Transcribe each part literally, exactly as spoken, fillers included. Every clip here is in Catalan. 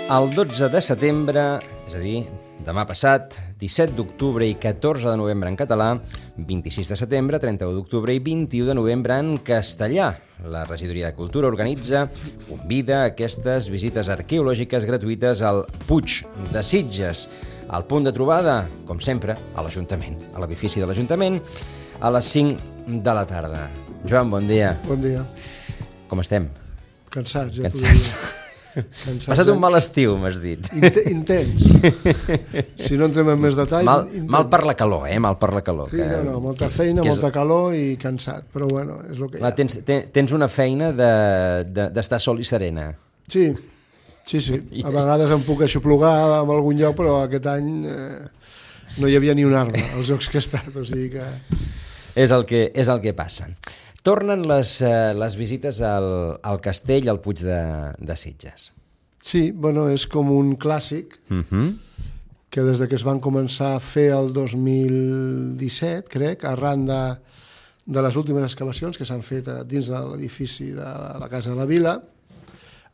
El dotze de setembre, és a dir, demà passat, disset d'octubre i catorze de novembre en català, vint-i-sis de setembre, trenta-u d'octubre i vint-i-u de novembre en castellà. La Regidoria de Cultura organitza, convida a aquestes visites arqueològiques gratuïtes al Puig de Sitges. El punt de trobada, com sempre, a l'Ajuntament, a l'edifici de l'Ajuntament, a les cinc de la tarda. Joan, bon dia. Bon dia. Com estem? Cansats, ja Cansats. t'ho diria. Cansats, Passat un mal estiu, m'has dit. Int intens. Si no entrem en més detalls... Mal, intens. mal per la calor, eh? Mal per la calor. Sí, que, no, no, molta feina, és... molta calor i cansat, però bueno, és el que hi ha. Tens, ten, tens una feina d'estar de, de, sol i serena. Sí, sí, sí. A vegades em puc aixoplugar en algun lloc, però aquest any eh, no hi havia ni un arbre als jocs que he estat, o sigui que... És el que, és el que passa. Tornen les, eh, les visites al, al castell, al Puig de, de Sitges. Sí, bueno, és com un clàssic Uh-huh. que des de que es van començar a fer el dos mil disset, crec, arran de, de les últimes excavacions que s'han fet dins de l'edifici de la Casa de la Vila,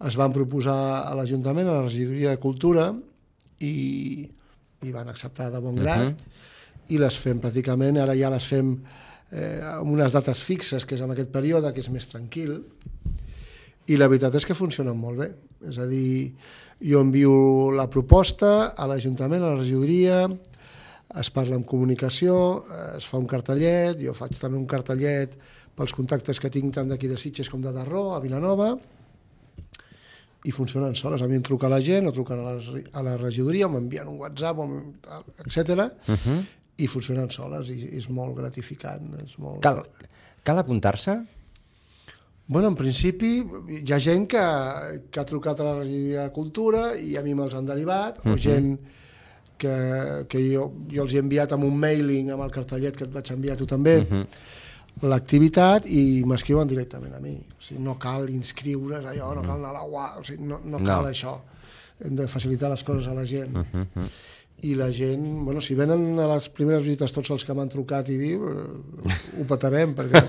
es van proposar a l'Ajuntament, a la Regidoria de Cultura, i, i van acceptar de bon grat, uh-huh. i les fem pràcticament, ara ja les fem eh, amb unes dates fixes, que és en aquest període, que és més tranquil, i la veritat és que funcionen molt bé. És a dir, jo envio la proposta a l'Ajuntament, a la regidoria, es parla amb comunicació, es fa un cartellet, jo faig també un cartellet pels contactes que tinc tant d'aquí de Sitges com de Darró, a Vilanova, i funcionen soles. A mi em truca la gent, o truquen a la, a la regidoria, o m'envien un WhatsApp, etcètera, uh-huh. i funcionen soles, i és molt gratificant. És molt... Cal, cal apuntar-se? Bueno, en principi hi ha gent que, que ha trucat a la Regidoria de Cultura i a mi me'ls han derivat, uh-huh. o gent que, que jo, jo els he enviat amb un mailing, amb el cartellet que et vaig enviar a tu també, uh-huh. l'activitat, i m'escriuen directament a mi. O sigui, no cal inscriure's allò, no cal anar a la U A, o sigui, no, no cal no. això. Hem de facilitar les coses a la gent. Uh-huh. I la gent, bueno, si venen a les primeres visites tots els que m'han trucat i diu, ho petarem, perquè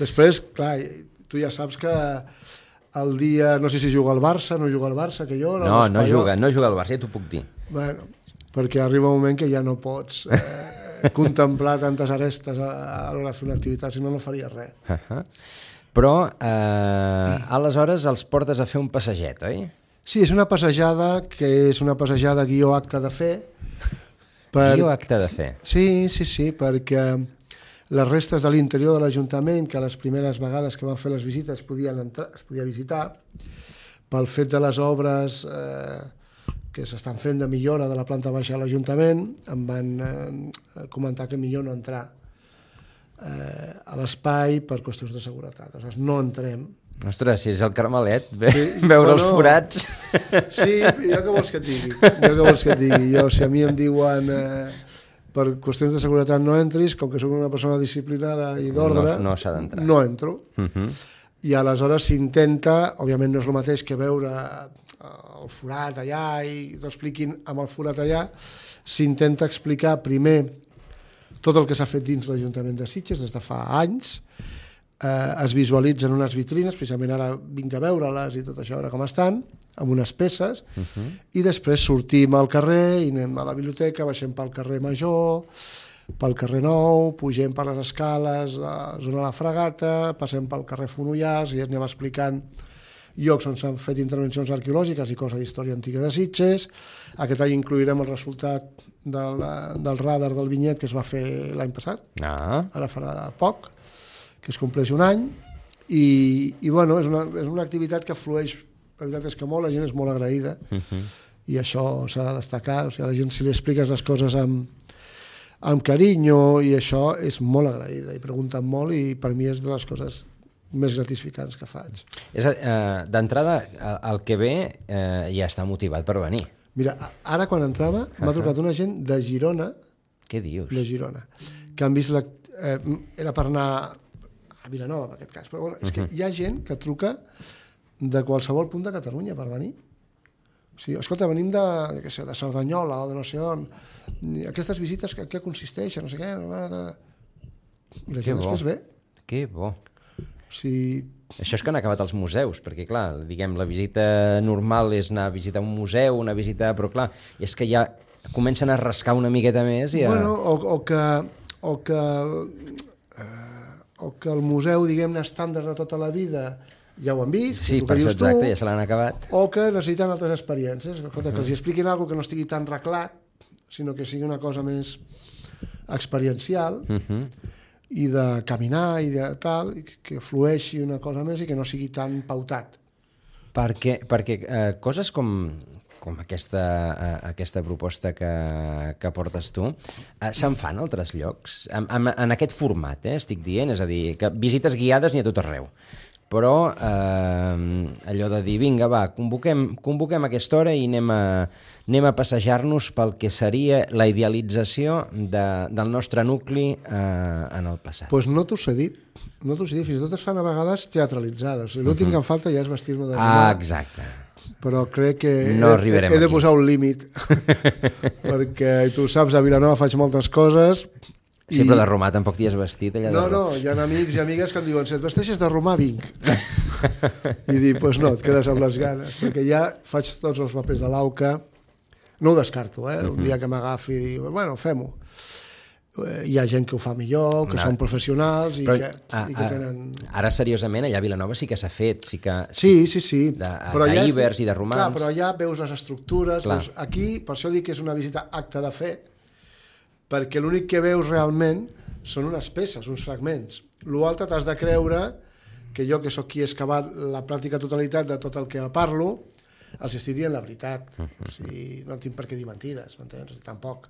després, clar, tu ja saps que el dia, no sé si juga al Barça, no juga al Barça, que jo... No, no juga, no juga al Barça, ja t'ho puc dir. Bueno, perquè arriba un moment que ja no pots eh, contemplar tantes arestes a, a l'hora de fer una activitat, si no, no faries res. Uh-huh. Però, eh, aleshores, els portes a fer un passeget, oi? Sí, és una passejada que és una passejada guió acte de fe. Per... Guió acte de fe? Sí, sí, sí, perquè les restes de l'interior de l'Ajuntament, que les primeres vegades que van fer les visites podien entrar, es podia visitar, pel fet de les obres eh, que s'estan fent de millora de la planta baixa de l'Ajuntament, em van eh, comentar que millor no entrar eh, a l'espai per qüestions de seguretat. Aleshores, no entrem. Ostres, si és el Carmelet, ve, sí, veure bueno, els forats... Sí, jo què vols que et digui? Jo què vols que et digui? Jo, si a mi em diuen eh, per qüestions de seguretat no entris, com que soc una persona disciplinada i d'ordre, no, no s'ha d'entrar. No entro. Uh-huh. I aleshores s'intenta, òbviament no és el mateix que veure el forat allà i t'expliquin amb el forat allà, s'intenta explicar primer tot el que s'ha fet dins l'Ajuntament de Sitges des de fa anys. Eh, es visualitzen unes vitrines, precisament ara vinc a veure-les i tot això, ara com estan, amb unes peces, uh-huh. i després sortim al carrer i anem a la biblioteca, baixem pel carrer Major, pel carrer Nou, pugem per les escales, a la zona de la Fragata, passem pel carrer Fonollars i anem explicant llocs on s'han fet intervencions arqueològiques i cosa d'història antiga de Sitges. Aquest any inclourem el resultat del, del radar del vinyet que es va fer l'any passat, ah. ara farà poc, que es compleix un any, i, i bueno, és una, és una activitat que flueix, la veritat és que molt, la gent és molt agraïda, uh-huh. i això s'ha de destacar, o sigui, a la gent si li expliques les coses amb, amb carinyo, i això és molt agraïda, i pregunten molt, i per mi és de les coses més gratificants que faig. És, eh, d'entrada, el que ve eh, ja està motivat per venir. Mira, ara quan entrava m'ha uh-huh. trucat una gent de Girona, què dius? De Girona, que han vist, la, eh, era per anar a Vilanova, en aquest cas, però bueno, és que hi ha gent que truca de qualsevol punt de Catalunya per venir. O sigui, escolta, venim de, què sé, de Cerdanyola o de no sé on, aquestes visites, què, què consisteixen, no sé què, i la gent després ve. Que bo. O sigui, Això és que han acabat els museus, perquè, clar, diguem, la visita normal és anar a visitar un museu, una visita... Però, clar, és que ja comencen a rascar una miqueta més i a... Bueno, o, o que... O que, eh, o que el museu, diguem-ne, estàndard de tota la vida ja ho han vist, sí, per això exacte, ja se l'han acabat. O que necessiten altres experiències, escolta, que els expliquin alguna que no estigui tan reclat, sinó que sigui una cosa més experiencial, uh-huh. i de caminar i de tal, i que flueixi una cosa més i que no sigui tan pautat. Perquè, perquè eh, coses com, com aquesta, eh, aquesta proposta que, que portes tu, eh, se'n fan a altres llocs? En, en, en aquest format, eh, estic dient, és a dir, que visites guiades n'hi ha tot arreu. Però eh, allò de dir, vinga, va, convoquem, convoquem aquesta hora i anem a, anem a passejar-nos pel que seria la idealització de, del nostre nucli eh, en el passat. Doncs pues no t'ho sé dir, no t'ho sé dir, fins i tot es fan a vegades teatralitzades. L'últim uh-huh. que em falta ja és vestir-me de romà. Ah, exacte. Però crec que no he, he de posar un límit, perquè tu saps, a Vilanova faig moltes coses... Sí, però de romà tampoc t'hi has vestit allà no, de... No, hi ha amics i amigues que em diuen si et vesteixes de romà, vinc. I dic, doncs pues no, et quedes amb les ganes, perquè ja faig tots els papers de l'auca, no ho descarto, eh? Un dia que m'agafi i dic, bueno, fem-ho. Hi ha gent que ho fa millor, que no. són professionals i, però, que, a, i que tenen... Ara, seriosament, allà a Vilanova sí que s'ha fet, sí que... Sí, sí, sí. D'ibers i de romans. Clar, però allà veus les estructures, veus, aquí, per això dic que és una visita acte de fe, perquè l'únic que veus realment són unes peces, uns fragments. L'altre t'has de creure que jo, que sóc qui he excavat la pràctica totalitat de tot el que parlo, els estic dient la veritat. O sigui, no tinc per què dir mentides, m'entens? Tampoc.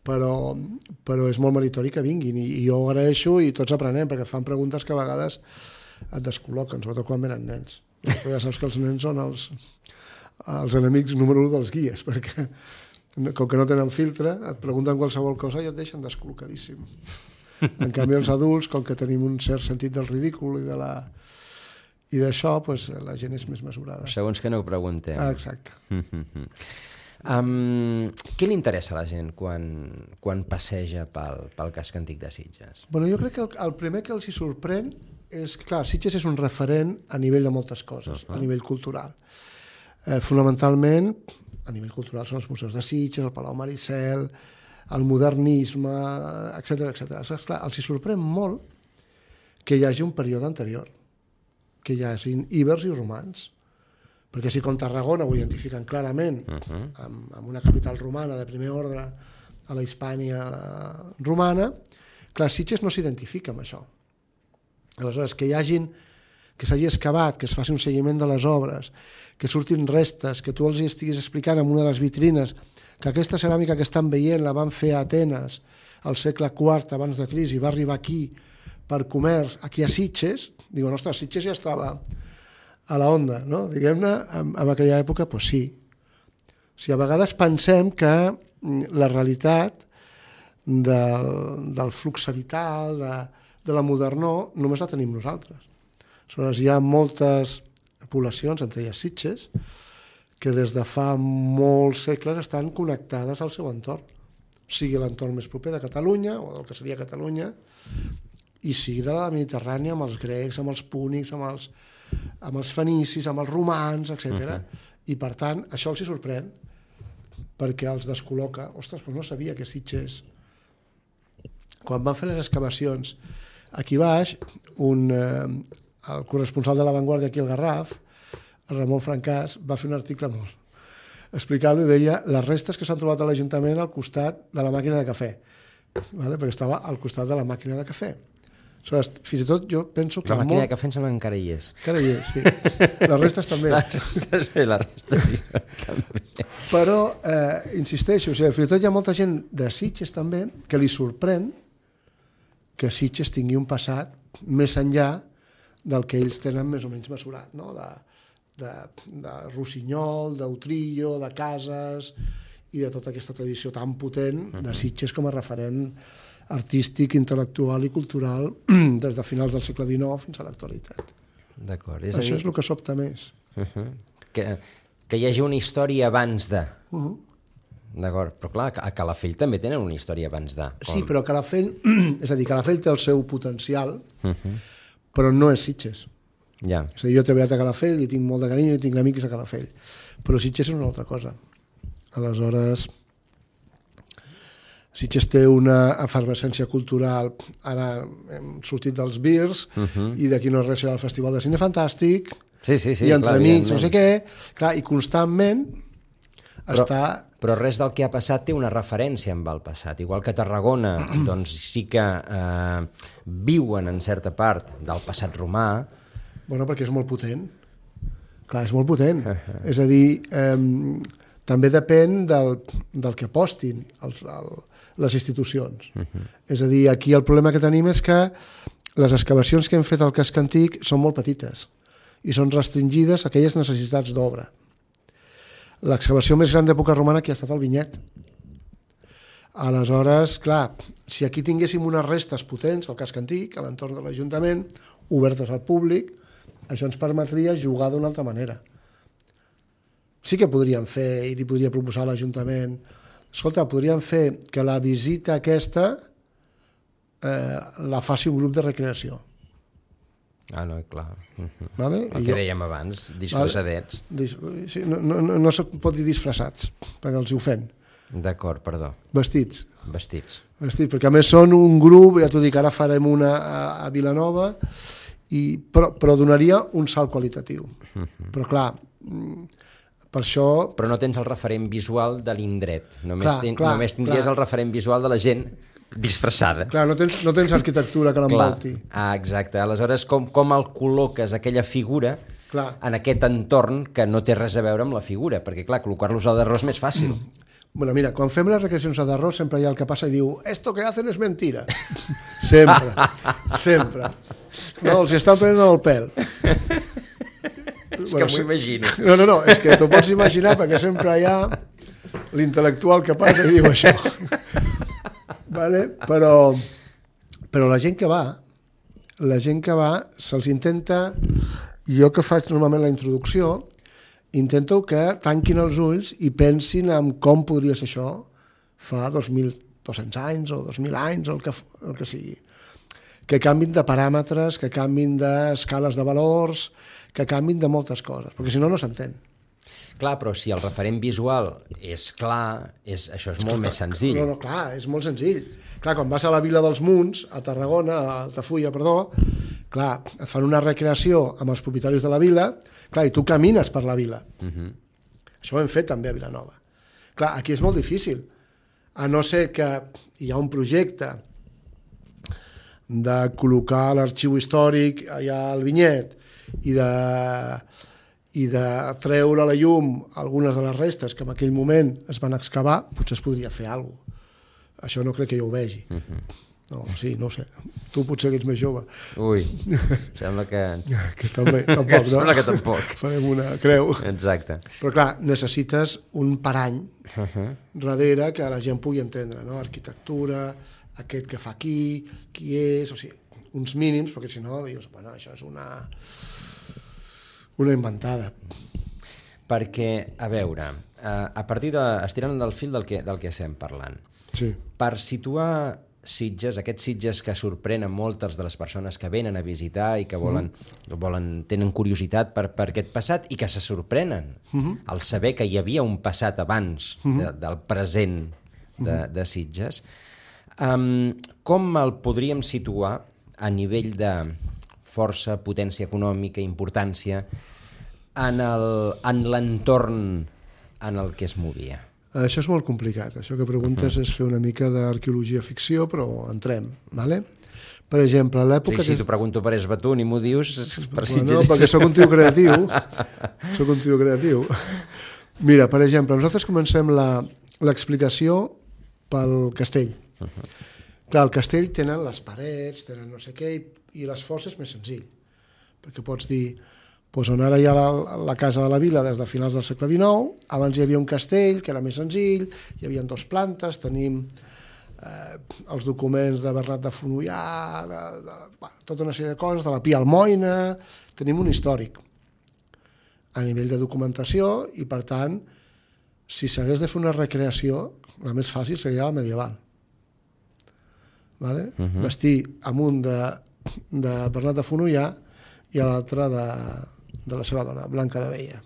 Però, però és molt meritori que vinguin, i, i jo ho agraeixo i tots aprenem, perquè et fan preguntes que a vegades et descol·loquen, sobretot quan venen nens. Però ja saps que els nens són els, els enemics número u dels guies, perquè... com que no tenen filtre, et pregunten qualsevol cosa i et deixen descol·locadíssim. En canvi, els adults, com que tenim un cert sentit del ridícul i de la i d'això, pues, la gent és més mesurada. Segons que no ho preguntem. Ah, exacte. um, què li interessa a la gent quan, quan passeja pel, pel casc antic de Sitges? Bueno, jo crec que el, el primer que els hi sorprèn és, clar, Sitges és un referent a nivell de moltes coses, uh-huh. a nivell cultural. Eh, fonamentalment, a nivell cultural són els museus de Sitges, el Palau Maricel, el modernisme, etcètera, etcètera. Esclar, els hi sorprèn molt que hi hagi un període anterior, que hi hagi ibers i romans, perquè si com Tarragona ho identifiquen clarament uh-huh. amb, amb una capital romana de primer ordre a la Hispània romana, clar, Sitges no s'identifica amb això. Aleshores, que hi hagin que s'hagi excavat, que es faci un seguiment de les obres, que surtin restes, que tu els estiguis explicant en una de les vitrines que aquesta ceràmica que estan veient la van fer a Atenes al segle quart abans de crisi, va arribar aquí per comerç, aquí a Sitges, diuen, ostres, Sitges ja estava a la onda, no? Diguem-ne, en, en aquella època, doncs sí. O sigui, a vegades pensem que la realitat del, del flux vital, de, de la modernor, només la tenim nosaltres. Aleshores, hi ha moltes poblacions, entre elles Sitges, que des de fa molts segles estan connectades al seu entorn, sigui l'entorn més proper de Catalunya, o del que seria Catalunya, i sigui de la Mediterrània, amb els grecs, amb els púnics, amb els, amb els fenicis, amb els romans, etcètera. Uh-huh. I, per tant, això els hi sorprèn, perquè els descol·loca. Ostres, però no sabia que Sitges... Quan van fer les excavacions aquí baix, un... Eh, el corresponsal de La Vanguardia aquí al Garraf, Ramon Francàs, va fer un article molt explicant-lo i deia les restes que s'han trobat a l'Ajuntament al costat de la màquina de cafè, vale? Perquè estava al costat de la màquina de cafè. Aleshores, fins i tot jo penso que... La màquina molt... de cafè em sembla que encara hi és. Encara hi és, sí. Les restes també. Les restes bé, les restes també. Però, eh, insisteixo, o sigui, fins i tot hi ha molta gent de Sitges també que li sorprèn que Sitges tingui un passat més enllà del que ells tenen més o menys mesurat, no? de, de, de Rossinyol, d'Utrillo, de Cases i de tota aquesta tradició tan potent de Sitges com a referent artístic, intel·lectual i cultural des de finals del segle dinou fins a l'actualitat. D'acord. És Això dir... és el que sobta més. Uh-huh. Que, que hi hagi una història abans de... Uh-huh. D'acord, però clar, a Calafell també tenen una història abans de... Com... Sí, però Calafell, és a dir, Calafell té el seu potencial, uh-huh. però no és Sitges. Ja. És a dir, jo he treballat a Calafell i tinc molt de carinyo i tinc amics a Calafell, però Sitges és una altra cosa. Aleshores, Sitges té una efervescència cultural, ara hem sortit dels Birs, uh -huh. i d'aquí no res serà el Festival de Cine Fantàstic, sí, sí, sí, i entre clar, amics, no sé què, clar, i constantment però, està... Però res del que ha passat té una referència amb el passat, igual que Tarragona, doncs sí que eh, viuen en certa part del passat romà. Bueno, perquè és molt potent. Clar, és molt potent. Uh -huh. És a dir, eh, també depèn del, del que apostin els, el, les institucions. Uh -huh. És a dir, aquí el problema que tenim és que les excavacions que hem fet al casc antic són molt petites i són restringides a aquelles necessitats d'obra. L'excavació més gran d'època romana que ha estat el Vinyet. Aleshores, clar, si aquí tinguéssim unes restes potents al casc antic, a l'entorn de l'Ajuntament, obertes al públic, això ens permetria jugar d'una altra manera. Sí que podríem fer, i li podria proposar a l'Ajuntament, escolta, podríem fer que la visita aquesta eh, la faci un grup de recreació. Ah, no, clar. Uh-huh. Vale? El I que jo, dèiem abans, disfressadets. vale? Sí, no, no, no, no se pot dir disfressats, perquè els hi ofèn. D'acord, perdó. Vestits. Vestits. Vestits, perquè a més són un grup, ja t'ho dic, ara farem una a, a Vilanova, i, però, però donaria un salt qualitatiu. Uh-huh. Però clar, per això... Però no tens el referent visual de l'indret, només, clar, ten, clar, només tindries clar. El referent visual de la gent disfressada. Clar, no tens, no tens arquitectura que l'envolti. Ah, exacte. Aleshores, com, com el col·loques aquella figura clar. En aquest entorn que no té res a veure amb la figura? Perquè, clar, col·locar-los a d'arròs és més fàcil. Bueno, mira, quan fem les recreacions a d'arròs sempre hi ha el que passa i diu esto que hacen es mentira. Sempre, sempre. No, els estan prenent el pèl. És bueno, que m'ho imagino. No, no, no, és que t'ho pots imaginar perquè sempre hi ha l'intel·lectual que passa i diu això. Vale? Però, però la gent que va, la gent que va, se'ls intenta, jo que faig normalment la introducció, intento que tanquin els ulls i pensin en com podria ser això fa dos mil dos-cents anys o dos mil anys o el que, el que sigui. Que canvin de paràmetres, que canvin d'escales de valors, que canvin de moltes coses, perquè si no, no s'entén. Clar, però si el referent visual és clar, és, això és, és molt clar, més senzill. No, no, clar, és molt senzill. Clar, quan vas a la Vila dels Munts, a Tarragona, a Altafulla, perdó, clar, et fan una recreació amb els propietaris de la vila, clar, i tu camines per la vila. Uh-huh. Això ho hem fet també a Vilanova. Clar, aquí és molt difícil, a no ser que hi ha un projecte de col·locar l'arxiu històric allà al Vinyet i de... i de treure a la llum algunes de les restes que en aquell moment es van excavar, potser es podria fer alguna cosa. Això no crec que jo ho vegi. Uh-huh. No, sí, no ho sé. Tu potser que ets més jove. Ui, sembla que... que també, tampoc, no? Sembla que tampoc. Farem una creu. Exacte. Però clar, necessites un parany uh-huh. darrere que la gent pugui entendre, no? Arquitectura, aquest que fa aquí, qui és, o sigui, uns mínims, perquè si no dius, bueno, això és una... una inventada. Perquè, a veure, a partir de... estirant del fil del que, del que estem parlant, sí. Per situar Sitges, aquests Sitges que sorprenen moltes de les persones que venen a visitar i que volen, mm. volen tenen curiositat per, per aquest passat i que se sorprenen mm-hmm. al saber que hi havia un passat abans mm-hmm. de, del present de, mm-hmm. de Sitges, um, com el podríem situar a nivell de força, potència econòmica, importància, en l'entorn en el que es movia? Això és molt complicat. Això que preguntes uh-huh. és fer una mica d'arqueologia ficció, però entrem. Vale? Per exemple, a l'època... Sí, si t'ho pregunto per Esbatun i m'ho dius... Per si bueno, perquè sóc un tio creatiu. Sóc un tio creatiu. Mira, per exemple, nosaltres comencem l'explicació pel castell. Uh-huh. Clar, el castell tenen les parets, tenen no sé què, i l'esforç és més senzill, perquè pots dir, doncs on ara hi ha la, la casa de la vila des de finals del segle dinou, abans hi havia un castell que era més senzill, hi havia dues plantes, tenim eh, els documents de Bernat de Fonollà, de, de, bueno, tota una sèrie de coses, de la Pia Almoina, tenim un històric a nivell de documentació i, per tant, si s'hagués de fer una recreació, la més fàcil seria la medieval. Vale? Uh-huh. Vestir amunt de, de Bernat de Fonollà i a l'altre de, de la seva dona, Blanca de Veia.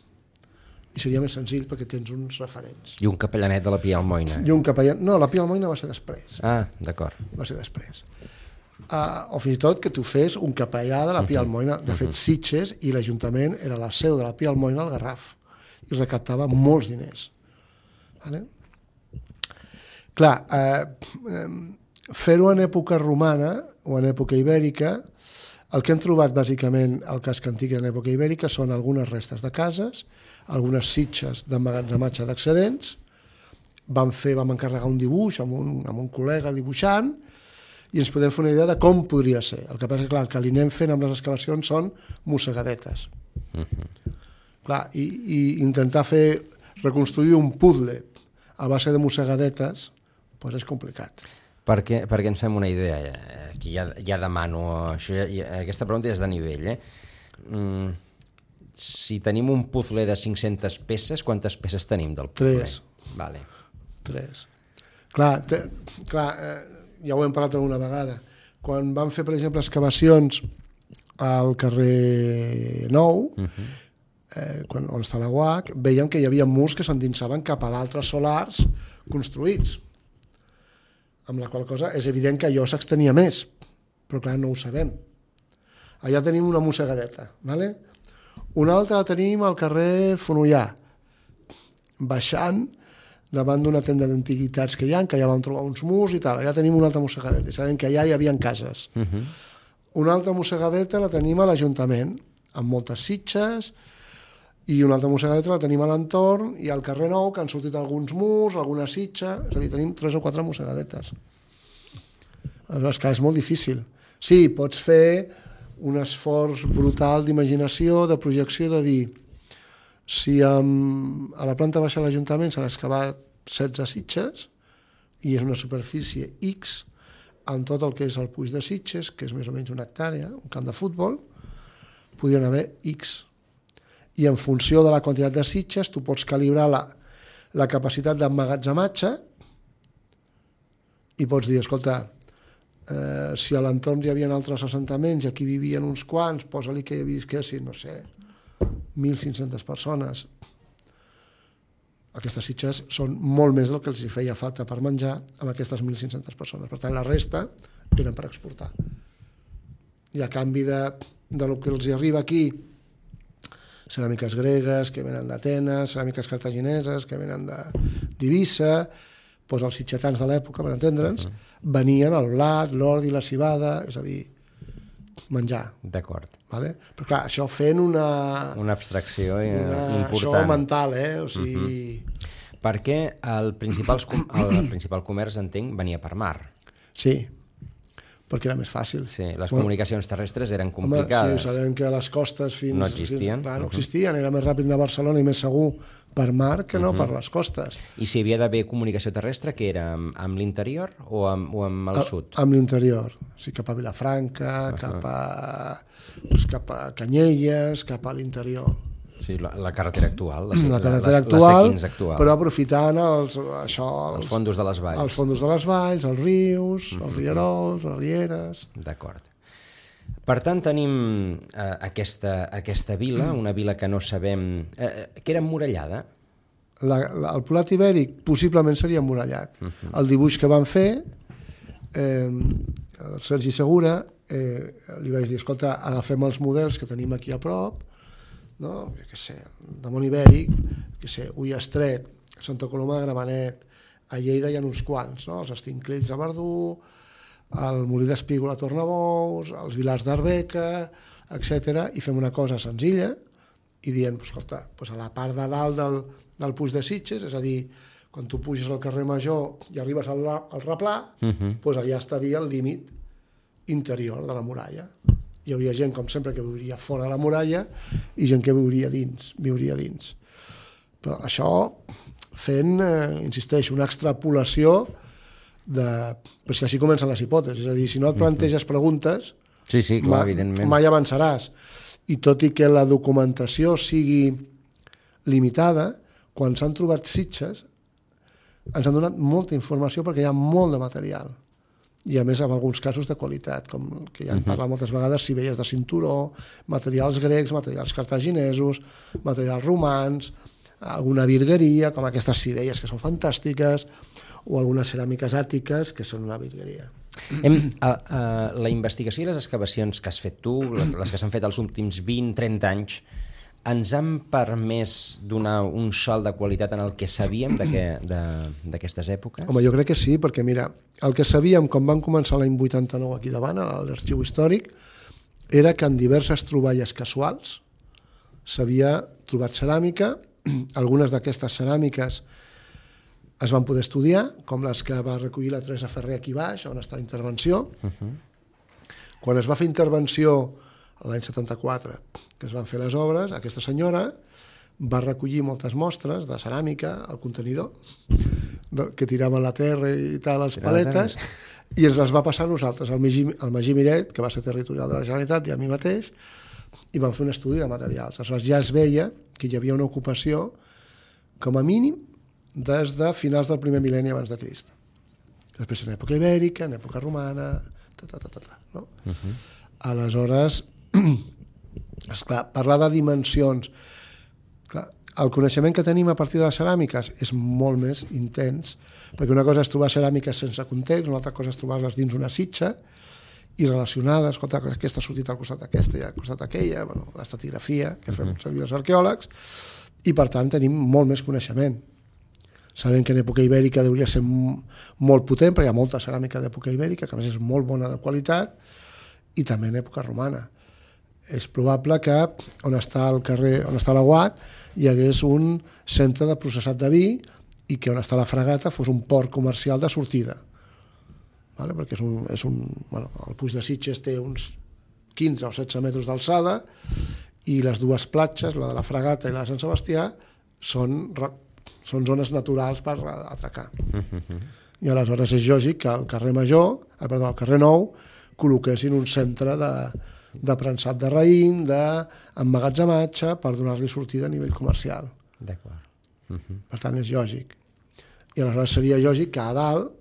I seria més senzill perquè tens uns referents. I un capellanet de la Pia Almoina. I un capellanet... No, la Pia Almoina va ser després. Ah, d'acord. Va ser després. Uh, o fins i tot que tu fes un capellà de la Pia Almoina. De fet, Sitges i l'Ajuntament era la seu de la Pia Almoina al Garraf i recaptava molts diners. Vale? Clar, uh, fer-ho en època romana o en època ibèrica, el que hem trobat bàsicament al casc antic en època ibèrica són algunes restes de cases, algunes sitges d'emmagatzematge d'excedents. Vam fer, vam encarregar un dibuix amb un, amb un col·lega dibuixant i ens podem fer una idea de com podria ser. El que passa és que, clar, el que li anem fent amb les excavacions són mossegadetes. Uh-huh. Clar, i, i intentar fer, reconstruir un puzzle a base de mossegadetes, doncs és complicat. Perquè, perquè ens fem una idea, aquí ja, ja demano, això ja, ja, aquesta pregunta és de nivell, eh? Mm, si tenim un puzzle de cinc-centes peces, quantes peces tenim del puzzle? Tres. Vale. Tres. Clar, te, clar eh, ja ho hem parlat alguna vegada, quan vam fer, per exemple, excavacions al carrer Nou, uh-huh. eh, quan, on està la U A C, veiem que hi havia murs que s'endinsaven cap a d'altres solars construïts, amb la qual cosa és evident que allò s'extenia més, però clar, no ho sabem. Allà tenim una mossegadeta, ¿vale? Una altra la tenim al carrer Fonollà, baixant davant d'una tenda d'antiguitats que hi ha, que ja vam trobar uns murs i tal, allà tenim una altra mossegadeta, i sabem que allà hi havia cases. Uh-huh. Una altra mossegadeta la tenim a l'Ajuntament, amb moltes sitges, i una altra mossegadeta la tenim a l'entorn i al carrer Nou, que han sortit alguns murs, alguna sitja, és a dir, tenim tres o quatre mossegadetes. Aleshores, clar, és molt difícil. Sí, pots fer un esforç brutal d'imaginació, de projecció, de dir, si amb, a la planta baixa de l'Ajuntament s'han excavat setze sitges i és una superfície X, amb tot el que és el Puig de Sitges, que és més o menys una hectàrea, un camp de futbol, podrien haver X. I en funció de la quantitat de sitges tu pots calibrar la, la capacitat d'emmagatzematge i pots dir, escolta, eh, si a l'entorn hi havia altres assentaments i aquí vivien uns quants, posa-li que hi visquessin, no sé, mil cinc-centes persones. Aquestes sitges són molt més del que els hi feia falta per menjar amb aquestes mil cinc-centes persones. Per tant, la resta eren per exportar. I a canvi de, de lo que els hi arriba aquí, ceràmiques gregues que venen d'Atenes, ceràmiques cartagineses que venen d'Eivissa, doncs els sitgetans de l'època, per entendre'ns, venien el blat, l'ordi, la civada, és a dir, menjar. D'acord. Vale? Però clar, això fent una... Una abstracció una, important. Això mental, eh? O sigui... Uh-huh. Perquè el principal, el principal comerç, entenc, venia per mar. Sí, perquè era més fàcil. Sí, les bueno, comunicacions terrestres eren complicades. Home, sí, sabem que a les costes fins... No existien. Fins, clar, no existien, era més ràpid anar a Barcelona i més segur per mar que no uh-huh. per les costes. I si havia d'haver comunicació terrestre, què era? Amb, amb l'interior o amb, o amb el a, sud? Amb l'interior, o sigui, cap a Vilafranca, uh-huh. cap, a, doncs, cap a Canyelles, cap a l'interior. Sí, la, la carretera actual, la, la carretera la, actual, la C quinze actual, però aprofitant els, això, els, els fondos de les valls. Els fondos de les valls, els rius, mm-hmm. els rierols, les rieres... D'acord. Per tant, tenim eh, aquesta, aquesta vila, una vila que no sabem... Eh, que era emmurallada? La, la, el Poblat Ibèric possiblement seria emmurallat. Mm-hmm. El dibuix que van fer, eh, el Sergi Segura, eh, li vaig dir, escolta, agafem els models que tenim aquí a prop, no? Jo què sé, de món ibèric, que sé, Ullastret, Santa Coloma de Gramenet, a Lleida hi ha uns quants, no? Els Estinclells de Verdú, el Molí d'Espígol a Tornabous, els Vilars d'Arbeca, etcètera, i fem una cosa senzilla i dient, escolta, doncs a la part de dalt del, del Puig de Sitges, és a dir, quan tu puges al carrer Major i arribes al, al Replà, uh-huh. doncs allà estaria el límit interior de la muralla. Hi hauria gent, com sempre, que viuria fora de la muralla i gent que viuria dins, viuria dins. Però això fent, eh, insisteixo, una extrapolació de... Però és que així comencen les hipòtesis, és a dir, si no et planteges preguntes, sí, sí, clar, mai, evidentment. mai avançaràs. I tot i que la documentació sigui limitada, quan s'han trobat sitges, ens han donat molta informació perquè hi ha molt de material. i a més amb alguns casos de qualitat, com que ja en parla moltes vegades, sivelles de cinturó, materials grecs, materials cartaginesos, materials romans, alguna virgueria, com aquestes sivelles que són fantàstiques, o algunes ceràmiques àtiques que són una virgueria. Hem, a, a, la investigació i les excavacions que has fet tu, les que s'han fet els últims vint a trenta anys, ens han permès donar un salt de qualitat en el que sabíem d'aquestes èpoques? Home, jo crec que sí, perquè mira, el que sabíem quan vam començar l'any vuitanta-nou aquí davant, a l'arxiu històric, era que en diverses troballes casuals s'havia trobat ceràmica, algunes d'aquestes ceràmiques es van poder estudiar, com les que va recollir la Teresa Ferrer aquí baix, on està la intervenció. Uh-huh. Quan es va fer intervenció l'any setanta-quatre, que es van fer les obres, aquesta senyora va recollir moltes mostres de ceràmica al contenidor, que tiraven la terra i tal, les paletes, i ens les va passar a nosaltres, al Magí, al Magí Miret, que va ser territorial de la Generalitat, i a mi mateix, i vam fer un estudi de materials. Aleshores ja es veia que hi havia una ocupació, com a mínim, des de finals del primer mil·lenni abans de Crist. Després en època ibèrica, en època romana, ta, ta, ta, ta, ta, no? Uh-huh. Aleshores, esclar, parlar de dimensions, clar, el coneixement que tenim a partir de les ceràmiques és molt més intens, perquè una cosa és trobar ceràmiques sense context, una altra cosa és trobar-les dins una sitja i relacionades, escolta, aquesta ha sortit al costat d'aquesta i al costat d'aquella, bueno, l'estratigrafia que fem servir els arqueòlegs, i per tant tenim molt més coneixement. Sabem que en època ibèrica hauria ser molt potent, perquè hi ha molta ceràmica d'època ibèrica, que a més és molt bona de qualitat, i també en època romana. És probable que on està el carrer, on està la U A C, hi hagués un centre de processat de vi i que on està la fragata fos un port comercial de sortida. Vale? Perquè és un, és un, bueno, el Puig de Sitges té uns quinze o setze metres d'alçada i les dues platges, la de la fragata i la de Sant Sebastià, són, són zones naturals per atracar. I aleshores és lògic que al carrer Major, eh, perdó, al carrer Nou, col·loquessin un centre de, de prensat de raïm, d'emmagatzematge, per donar-li sortida a nivell comercial. D'acord. Uh-huh. Per tant, és lògic. I aleshores seria lògic que a dalt,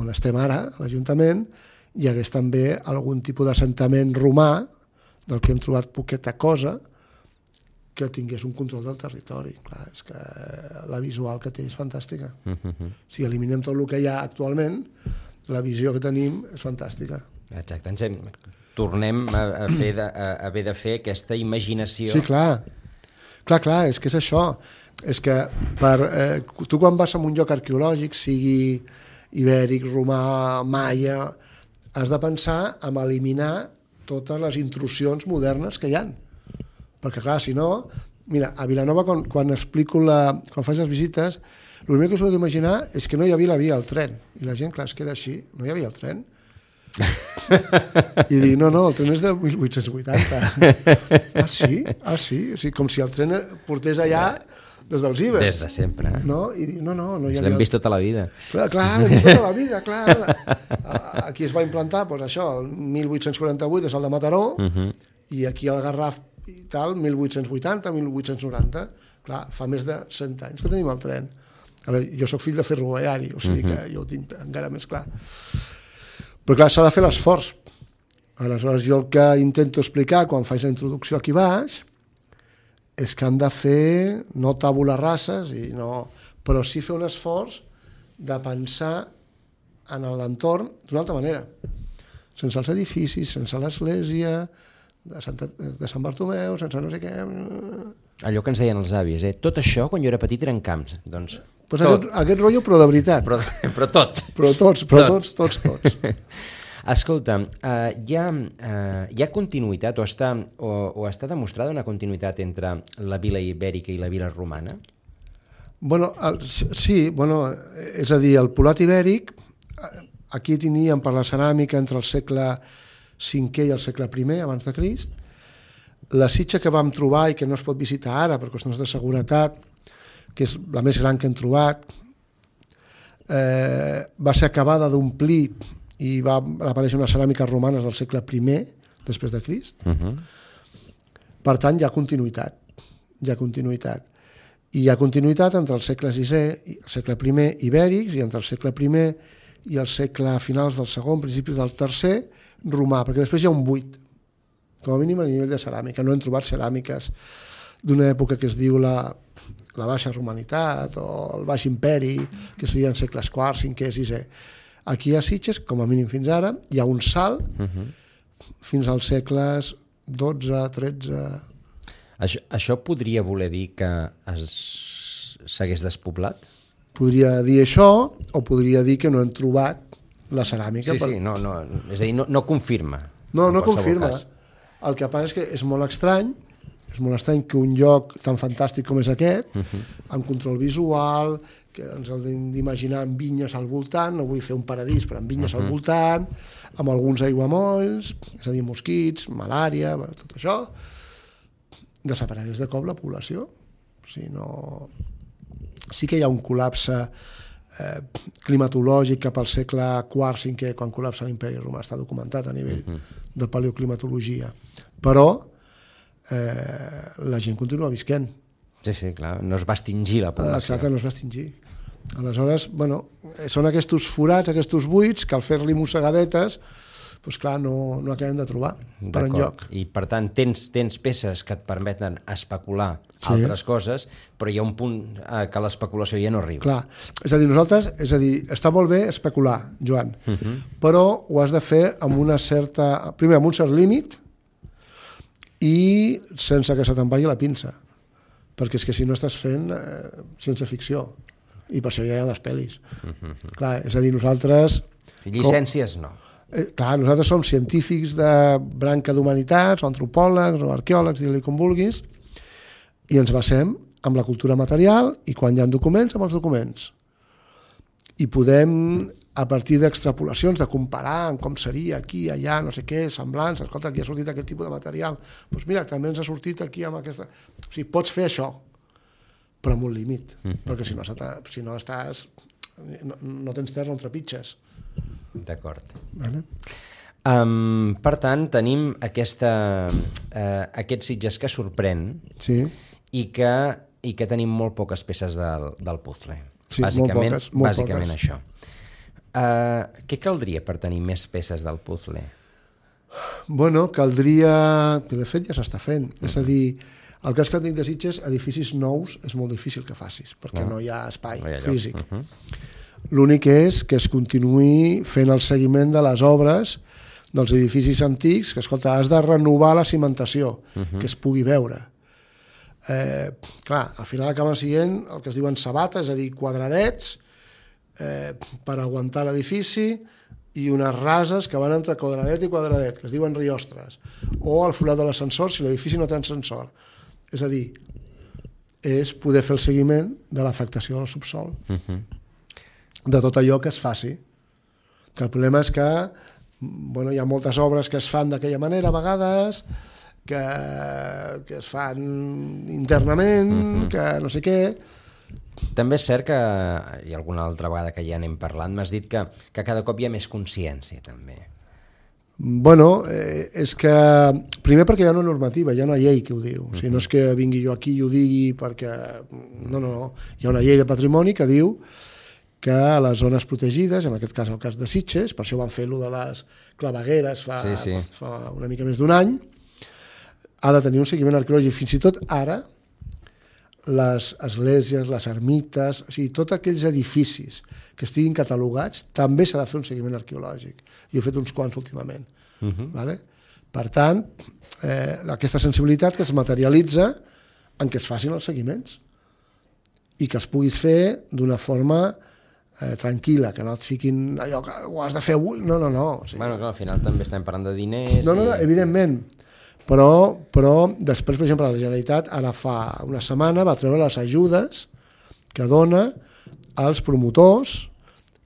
on estem ara, a l'Ajuntament, hi hagués també algun tipus d'assentament romà, del que hem trobat poqueta cosa, que tingués un control del territori. Clar, és que la visual que té és fantàstica. Uh-huh. Si eliminem tot el que hi ha actualment, la visió que tenim és fantàstica. Exacte, ens hem... tornem a, a, fer de, a haver de fer aquesta imaginació. Sí, clar. Clar, clar, és que és això. És que per, eh, tu quan vas a un lloc arqueològic, sigui ibèric, romà, maia, has de pensar en eliminar totes les intrusions modernes que hi ha. Perquè, clar, si no... Mira, a Vilanova, quan, quan explico la... quan faig les visites, el primer que us heu d'imaginar és que no hi havia la via al tren. I la gent, clar, es queda així. No hi havia el tren? I dic, no, no, el tren és de mil vuit-cents vuitanta. Ah, sí? Ah, sí? O sigui, com si el tren portés allà des dels ibers. Des de sempre. Eh? No? I dic, no, no, no hi havia... L'hem vist tota la vida. Clar, clar, l'hem vist tota la vida, clar. Aquí es va implantar, doncs això, el mil vuit-cents quaranta-vuit és el de Mataró, uh-huh. I aquí el Garraf i tal, mil vuit-cents vuitanta, mil vuit-cents noranta. Clar, fa més de cent anys que tenim el tren. A veure, jo sóc fill de ferroviari, o sigui uh-huh. que jo ho tinc encara més clar. Però clar, s'ha de fer l'esforç. Aleshores, jo el que intento explicar quan faig la introducció aquí baix és que han de fer, no tabula rases, i no, però sí fer un esforç de pensar en l'entorn d'una altra manera. Sense els edificis, sense l'església, de, Santa, de Sant Bartomeu, sense no sé què... Allò que ens deien els avis, eh? Tot això, quan jo era petit, eren camps. Doncs, pues aquest, aquest rotllo, però de veritat. Però, però tots. Però tots, però tots, tots, tots. tots. Escolta, uh, hi, ha, uh, hi ha continuïtat o està, o, o està demostrada una continuïtat entre la vila ibèrica i la vila romana? Bueno, el, sí, bueno, és a dir, el Polat ibèric, aquí teníem per la ceràmica entre el segle cinquè i el segle primer abans de Crist. La sitja que vam trobar i que no es pot visitar ara per qüestions de seguretat, que és la més gran que hem trobat, eh, va ser acabada d'omplir i va aparèixer unes ceràmiques romanes del segle primer després de Crist. Uh-huh. Per tant, hi ha continuïtat. Hi ha continuïtat. I hi ha continuïtat entre el segle sisè i el segle primer ibèrics i entre el segle primer i al segle finals del segon, principis del tercer, romà, perquè després hi ha un buit, com a mínim a nivell de ceràmica. No hem trobat ceràmiques d'una època que es diu la, la Baixa Romanitat o el Baix Imperi, que serien segles quart, cinquè, sisè. Aquí a Sitges, com a mínim fins ara, hi ha un salt uh-huh. fins als segles dotze, tretze... Això, això podria voler dir que es, s'hagués despoblat? Podria dir això, o podria dir que no hem trobat la ceràmica. Sí, per... sí, no, no, és a dir, no, no confirma. No, no confirma. Cas. El que passa és que és molt estrany, és molt estrany que un lloc tan fantàstic com és aquest, uh-huh. amb control visual, que ens hem d'imaginar amb vinyes al voltant, no vull fer un paradís, però amb vinyes uh-huh. al voltant, amb alguns aiguamolls, és a dir, mosquits, malària, tot això, desaparegués de cop la població. O sigui, no... Sí que hi ha un col·lapse eh, climatològic cap al segle quart, cinquè, quan col·lapsa l'Imperi Romà, està documentat a nivell uh-huh. de paleoclimatologia. Però eh, la gent continua visquent. Sí, sí, clar, no es va extingir la població. Exacte, no es va extingir. Aleshores, bueno, són aquests forats, aquests buits, que al fer-li mossegadetes, doncs clar, no, no acabem de trobar per enlloc. I per tant tens, tens peces que et permeten especular sí. altres coses, però hi ha un punt eh, que l'especulació ja no arriba. Clar, és a dir, nosaltres, és a dir, està molt bé especular, Joan, uh-huh. però ho has de fer amb una certa, primer amb un cert límit i sense que se te'n vagi la pinça, perquè és que si no estàs fent eh, ciència ficció, i per això ja hi ha les pel·lis. Uh-huh. Clar, és a dir, nosaltres... Si llicències, no. Eh, clar, nosaltres som científics de branca d'humanitats, o antropòlegs, o arqueòlegs, digue-li com vulguis, i ens basem amb la cultura material i quan hi ha documents, amb els documents. I podem, a partir d'extrapolacions, de comparar amb com seria aquí, allà, no sé què, semblants, escolta, aquí ha sortit aquest tipus de material, doncs mira, també ens ha sortit aquí amb aquesta... O sigui, pots fer això, però amb un límit, mm-hmm. perquè si no, si no estàs... No, no tens terra on trepitges. D'acord. Vale. Um, per tant, tenim aquesta, uh, aquest Sitges que sorprèn sí. i, que, i que tenim molt poques peces del, del puzzle. Sí, bàsicament, molt poques. Molt bàsicament poques. això. Uh, què caldria per tenir més peces del puzzle? Bueno, caldria... Que de fet ja s'està fent. Uh-huh. És a dir, el cas que et dic de Sitges, edificis nous és molt difícil que facis, perquè no, no hi ha espai no hi ha físic. Uh-huh. L'únic és que es continuï fent el seguiment de les obres dels edificis antics, que, escolta, has de renovar la cimentació, uh-huh. que es pugui veure. Eh, clar, al final acaben sent el que es diuen sabates, és a dir, quadradets, eh, per aguantar l'edifici, i unes rases que van entre quadradet i quadradet, que es diuen riostres, o el forat de l'ascensor si l'edifici no té ascensor. És a dir, és poder fer el seguiment de l'afectació del subsol. Uh-huh. De tot allò que es faci. Que el problema és que bueno, hi ha moltes obres que es fan d'aquella manera a vegades, que, que es fan internament, uh-huh. que no sé què. També és cert que, i alguna altra vegada que ja n'hem parlat, m'has dit que, que cada cop hi ha més consciència, també. Bueno, eh, és que... Primer perquè hi ha una normativa, hi ha una llei que ho diu. Uh-huh. O sigui, no és que vingui jo aquí i ho digui perquè... No, no, no. Hi ha una llei de patrimoni que diu que a les zones protegides, en aquest cas el cas de Sitges, per això van fer-lo de les clavegueres fa, sí, sí. fa una mica més d'un any, ha de tenir un seguiment arqueològic. Fins i tot ara, les esglésies, les ermites, o sigui, tots aquells edificis que estiguin catalogats, també s'ha de fer un seguiment arqueològic. Jo he fet uns quants últimament. Uh-huh. Vale? Per tant, eh, aquesta sensibilitat que es materialitza en què es facin els seguiments i que es puguis fer d'una forma eh, tranquil·la, que no et fiquin allò que ho has de fer avui. No, no, no. O sigui, bueno, clar, al final també estem parlant de diners... No, no, no, i... evidentment. Però, però després, per exemple, la Generalitat ara fa una setmana va treure les ajudes que dona als promotors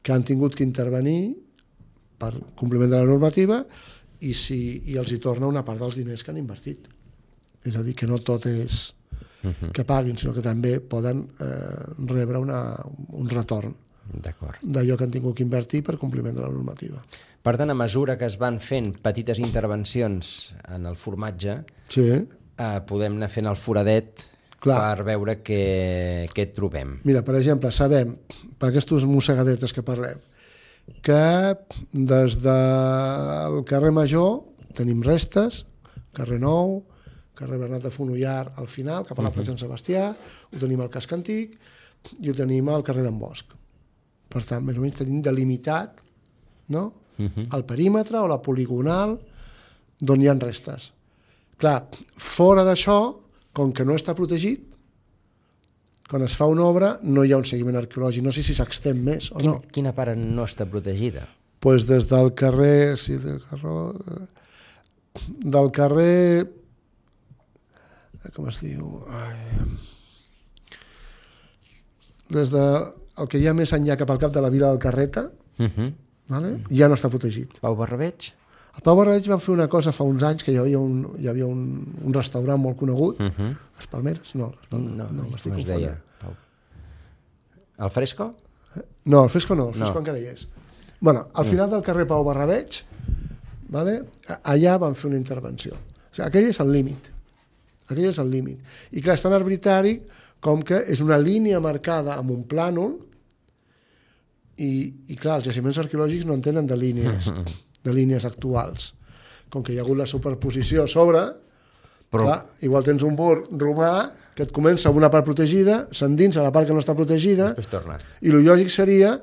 que han tingut que intervenir per compliment de la normativa i, si, i els hi torna una part dels diners que han invertit. És a dir, que no tot és que paguin, sinó que també poden eh, rebre una, un retorn d'allò que han tingut que invertir per compliment de la normativa. Per tant, a mesura que es van fent petites intervencions en el formatge, sí. eh, podem anar fent el foradet Clar. Per veure què, què trobem. Mira, per exemple, sabem, per aquestes mossegadetes que parlem, que des del carrer Major tenim restes, carrer Nou, carrer Bernat de Fonollar al final, cap a la plaça Sant Sebastià, ho tenim al casc antic i ho tenim al carrer d'en Bosch. Per tant, més o menys tenim delimitat, no? Uh-huh. El perímetre o la poligonal d'on hi ha restes. Clar, fora d'això, com que no està protegit, quan es fa una obra no hi ha un seguiment arqueològic, no sé si s'extén més o Quin, no. Quina part no està protegida? Doncs pues des del carrer... Sí, del carrer... Del carrer... Com es diu? Ai, des de el que hi ha més enllà cap al cap de la vila del Carreta, uh-huh. vale? ja no està protegit. Pau Barrabeig? El Pau Barrabeig van fer una cosa fa uns anys, que hi havia un, hi havia un, un restaurant molt conegut, uh-huh. les Palmeres? No, les Palmeres, no, no, no com es deia? Pau. El Fresco? No, el Fresco no, el Fresco no. encara hi és. Bueno, al final del carrer Pau Barrabeig, vale? allà van fer una intervenció. O sigui, aquell és el límit. Aquell és el límit. I clar, és tan arbitrari com que és una línia marcada amb un plànol i, i clar, els jaciments arqueològics no en tenen de línies, de línies actuals. Com que hi ha hagut la superposició a sobre, però... clar, igual tens un mur romà que et comença amb una part protegida, s'endinsa la part que no està protegida, i el lògic seria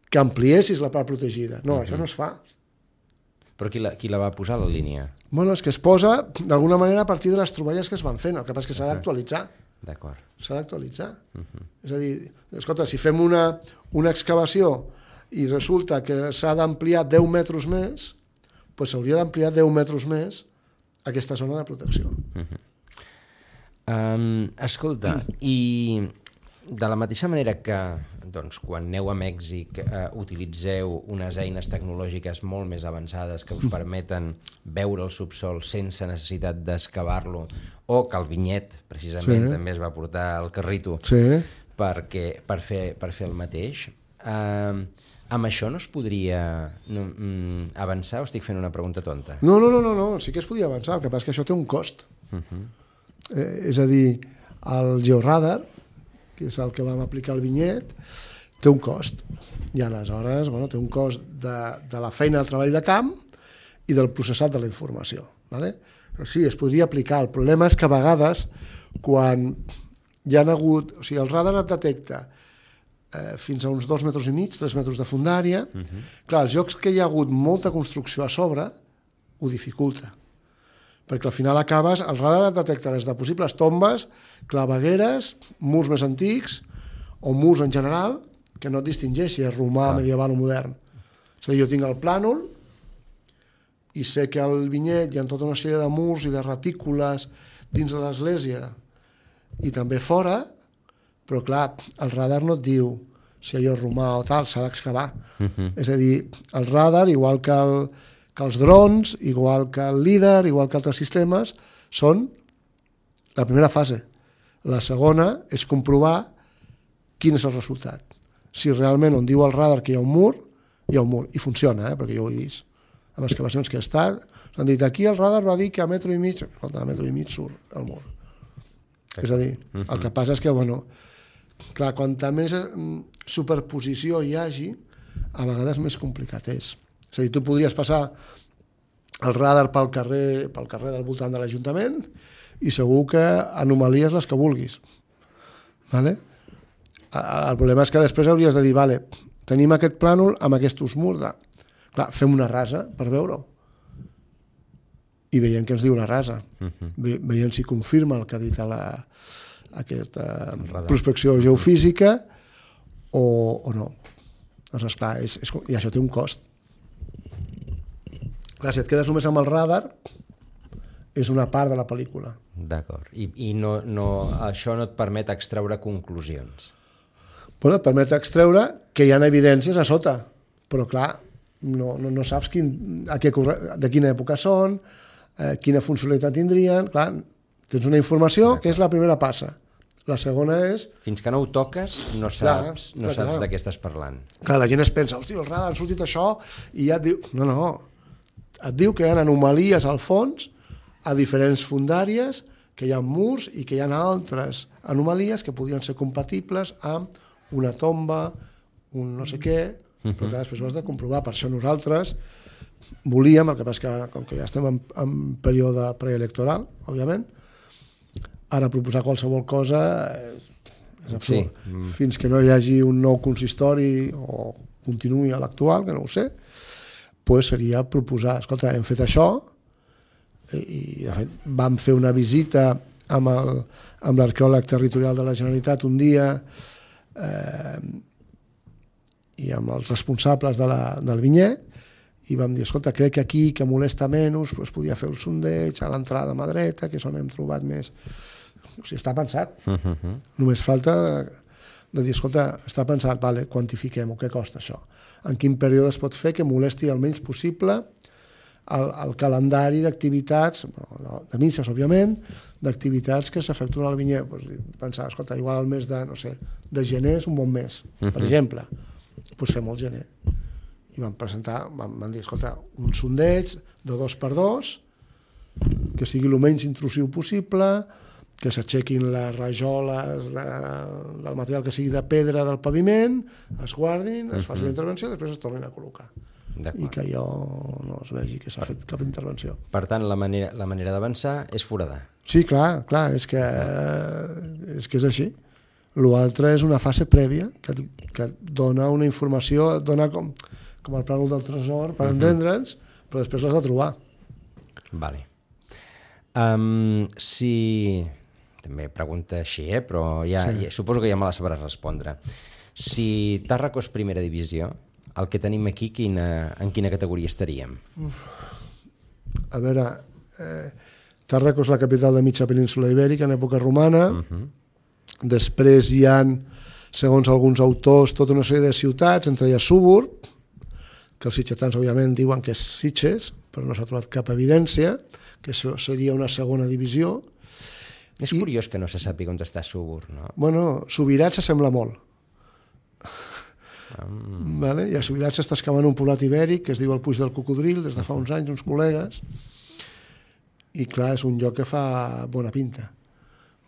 que ampliessis la part protegida. No, uh-huh. això no es fa. Però qui la, qui la va posar, la línia? Bueno, és que es posa d'alguna manera a partir de les troballes que es van fent, el que passa és que s'ha d'actualitzar. D'acord. S'ha d'actualitzar. Uh-huh. És a dir, escolta, si fem una, una excavació i resulta que s'ha d'ampliar deu metres més, doncs s'hauria d'ampliar deu metres més aquesta zona de protecció. Uh-huh. Um, escolta, i de la mateixa manera que doncs, quan aneu a Mèxic eh, utilitzeu unes eines tecnològiques molt més avançades que us permeten veure el subsol sense necessitat d'excavar-lo, o que el vinyet precisament sí. també es va portar al carrito sí. perquè, per, fer, per fer el mateix, eh, amb això no es podria no, mm, avançar o estic fent una pregunta tonta? No, no, no, no, no, sí que es podia avançar, el que passa és que això té un cost. Uh-huh. eh, és a dir, el georadar, que és el que vam aplicar al vinyet, té un cost. I aleshores, bueno, té un cost de, de la feina del treball de camp i del processat de la informació. Vale? Però sí, es podria aplicar. El problema és que a vegades, quan hi ha hagut... O sigui, el radar et detecta eh, fins a uns dos metres i mig, tres metres de fundària. Uh-huh. Clar, els llocs que hi ha hagut molta construcció a sobre ho dificulta. Perquè al final acabes, el radar et detecta des de possibles tombes, clavegueres, murs més antics, o murs en general, que no et distingeix si és romà, ah. medieval o modern. És a dir, jo tinc el plànol i sé que al vinyet hi ha tota una sèrie de murs i de retícules dins de l'església i també fora, però clar, el radar no et diu si allò és romà o tal, s'ha d'excavar. Uh-huh. És a dir, el radar, igual que el que els drons, igual que el líder, igual que altres sistemes, són la primera fase. La segona és comprovar quin és el resultat. Si realment on diu el radar que hi ha un mur, hi ha un mur. I funciona, eh? Perquè jo ho he vist. Amb excavacions que he estat, s'han dit, aquí el radar va dir que a metro i mig, a metro i mig surt el mur. Sí. És a dir, uh-huh. el que passa és que, bueno, clar, quanta més superposició hi hagi, a vegades més complicat és. És a dir, tu podries passar el radar pel carrer, pel carrer del voltant de l'Ajuntament i segur que anomalies les que vulguis. Vale? El problema és que després hauries de dir, vale, tenim aquest plànol amb aquests murs. De... Clar, fem una rasa per veure-ho. I veiem què ens diu la rasa. Uh-huh. Ve, veiem si confirma el que ha dit a la, aquesta prospecció geofísica o, o no. Doncs esclar, és, és, i això té un cost. Clar, si et quedes només amb el radar, és una part de la pel·lícula. D'acord. I, i no, no, això no et permet extreure conclusions? Bueno, et permet extreure que hi ha evidències a sota, però clar, no, no, no saps quin, a què, de quina època són, eh, quina funcionalitat tindrien. Clar, tens una informació que és la primera passa. La segona és... Fins que no ho toques, no saps, clar, no clar, saps clar. de què estàs parlant. Clar, la gent es pensa, hosti, el radar ha sortit això, i ja et diu... No, no, et diu que hi ha anomalies al fons a diferents fundàries, que hi ha murs i que hi ha altres anomalies que podien ser compatibles amb una tomba, un no sé què, però clar, després ho has de comprovar. Per això nosaltres volíem, el que passa que com que ja estem en, en període preelectoral, òbviament, ara proposar qualsevol cosa és, és absurd. Sí. Fins que no hi hagi un nou consistori o continuï a l'actual, que no ho sé, pues seria proposar, escolta, hem fet això, i de fet vam fer una visita amb el, amb l'arqueòleg territorial de la Generalitat un dia eh, i amb els responsables de la, del vinyer, i vam dir, escolta, crec que aquí, que molesta menys, pues, podia fer el sondeig a l'entrada a mà dreta, que és on hem trobat més. O sigui, està pensat. Uh-huh. Només falta de dir, escolta, està pensat, vale, quantifiquem-ho, què costa això? En quin període es pot fer que molesti el menys possible el, el calendari d'activitats, de misses, òbviament, d'activitats que s'efectuen al vinyer. Pues, pensar, escolta, igual el mes de, no sé, de gener és un bon mes, uh-huh. per exemple. Doncs pues fem el gener. I vam presentar, vam, vam dir, escolta, un sondeig de dos per dos, que sigui el menys intrusiu possible, que s'aixequin les rajoles la, del material que sigui de pedra del paviment, es guardin, es faci la intervenció i després es tornin a col·locar. I que allò no es vegi que s'ha fet cap intervenció. Per tant, la manera, la manera d'avançar és foradar. Sí, clar, clar, és que, és que és així. L'altre és una fase prèvia que, que dona una informació, dona com, com el plànol del tresor, per uh-huh. entendre'ns, però després l'has de trobar. Vale. Um, si... També pregunta així, eh? Però ja, sí. ja, suposo que ja me la sabràs respondre. Si Tàrraco és primera divisió, el que tenim aquí, quina, en quina categoria estaríem? Uf. A veure, eh, Tàrraco és la capital de mitja península ibèrica en època romana. Uh-huh. Després hi ha, segons alguns autors, tota una sèrie de ciutats, entre elles Súburg, que els sitgetans, òbviament, diuen que és Sitges, però no s'ha trobat cap evidència, que això seria una segona divisió. És I, curiós que no se sàpiga on està Súburg, no? Bueno, Subirats s'assembla molt. Um. Vale? I a Subirats s'està excavant un poblat ibèric que es diu el Puig del Cocodril, des de fa uns anys, uns col·legues, i clar, és un lloc que fa bona pinta.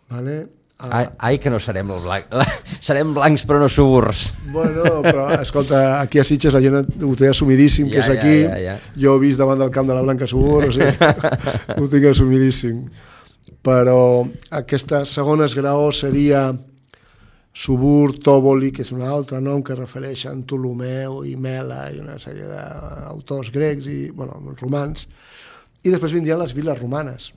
Vale? Ah. Ai, ai, que no serem blanc. Serem blancs però no Súburgs. Bueno, però escolta, aquí a Sitges la gent ho té assumidíssim, ja, que és aquí. Ja, ja, ja. Jo he vist davant del camp de la Blanca Súburg, o sigui, ho tinc assumidíssim. Però aquesta segona esgraó seria Súburg, Tòboli, que és un altre nom que refereix a Ptolomeu i Mela i una sèrie d'autors grecs i, bueno, romans. I després vindrien les viles romanes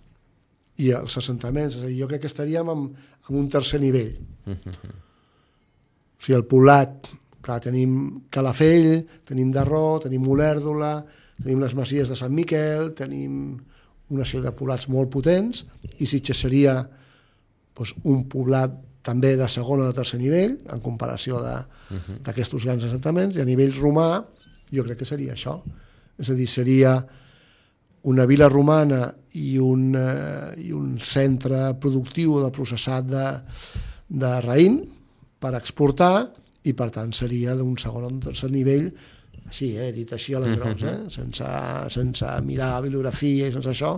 i els assentaments. És a dir, jo crec que estaríem en, en un tercer nivell. Uh-huh. O sigui, el poblat, clar, tenim Calafell, tenim Darró, tenim Olèrdola, tenim les masies de Sant Miquel, tenim una sèrie de poblats molt potents, i Sitges seria doncs, un poblat també de segon o de tercer nivell, en comparació d'aquests uh-huh. grans assentaments, i a nivell romà jo crec que seria això. És a dir, seria una vila romana i un, eh, i un centre productiu de processat de, de raïm per exportar, i per tant seria d'un segon o un tercer nivell, així, eh, dit així a l'engròs, eh? sense, sense mirar la bibliografia i sense això,